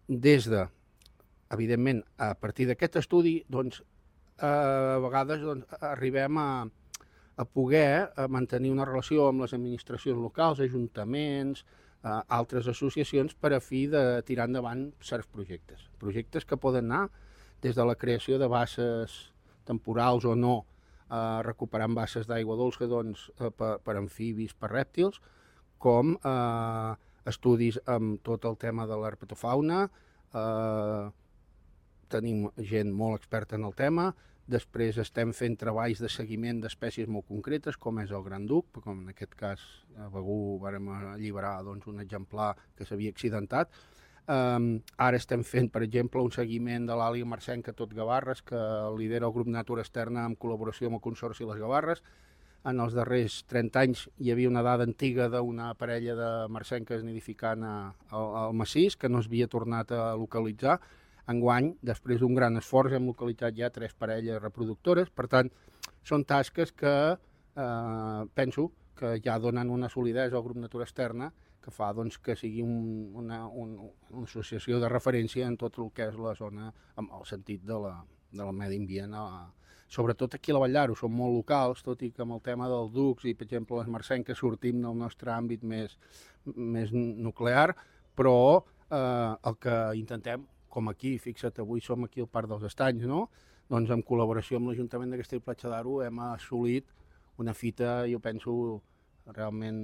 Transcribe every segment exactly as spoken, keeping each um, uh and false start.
des de, evidentment, a partir d'aquest estudi, doncs, a vegades doncs, arribem a, a poder a mantenir una relació amb les administracions locals, ajuntaments, a altres associacions per a fi de tirar endavant certs projectes. Projectes que poden anar des de la creació de basses temporals o no, eh, recuperant basses d'aigua dolça doncs, eh, per, per amfibis, per rèptils, com eh, estudis amb tot el tema de l'herpetofauna, eh, tenim gent molt experta en el tema, després estem fent treballs de seguiment d'espècies molt concretes, com és el gran duc, com en aquest cas a Begur vàrem alliberar doncs, un exemplar que s'havia accidentat. Um, ara estem fent, per exemple, un seguiment de l'àliga marcenca tot Gavarres, que lidera el grup Natura Externa en col·laboració amb el Consorci Les Gavarres. En els darrers trenta anys hi havia una dada antiga d'una parella de marcenques nidificant al massís, que no s'havia tornat a localitzar. Enguany, després d'un gran esforç, hem localitzat ja tres parelles reproductores. Per tant, són tasques que eh, penso que ja donen una solidesa al grup Natura Externa que fa doncs, que sigui un, una, un, una associació de referència en tot el que és la zona, en el sentit de la, del medi ambient. A, sobretot aquí a la Vall d'Aro som molt locals, tot i que amb el tema dels ducs i, per exemple, les marcenques sortim del nostre àmbit més, més nuclear, però eh, el que intentem, com aquí, fixa't, avui som aquí al Parc dels Estanys, no? Doncs en col·laboració amb l'Ajuntament de Castell-Platja d'Aro hem assolit una fita, jo penso, realment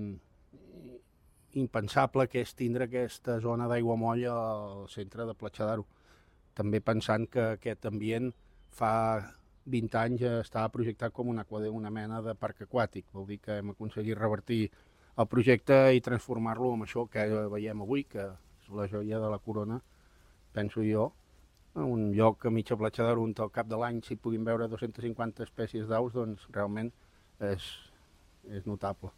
impensable, que és tindre aquesta zona d'aiguamoll al centre de Platja d'Aro. També pensant que aquest ambient fa vint anys estava projectat com una, una mena de parc aquàtic, vol dir que hem aconseguit revertir el projecte i transformar-lo en això que veiem avui, que és la joia de la corona, penso jo, un lloc a mitja Platja d'Aro on al cap de l'any s'hi puguin veure dues-centes cinquanta espècies d'aus, doncs realment és, és notable.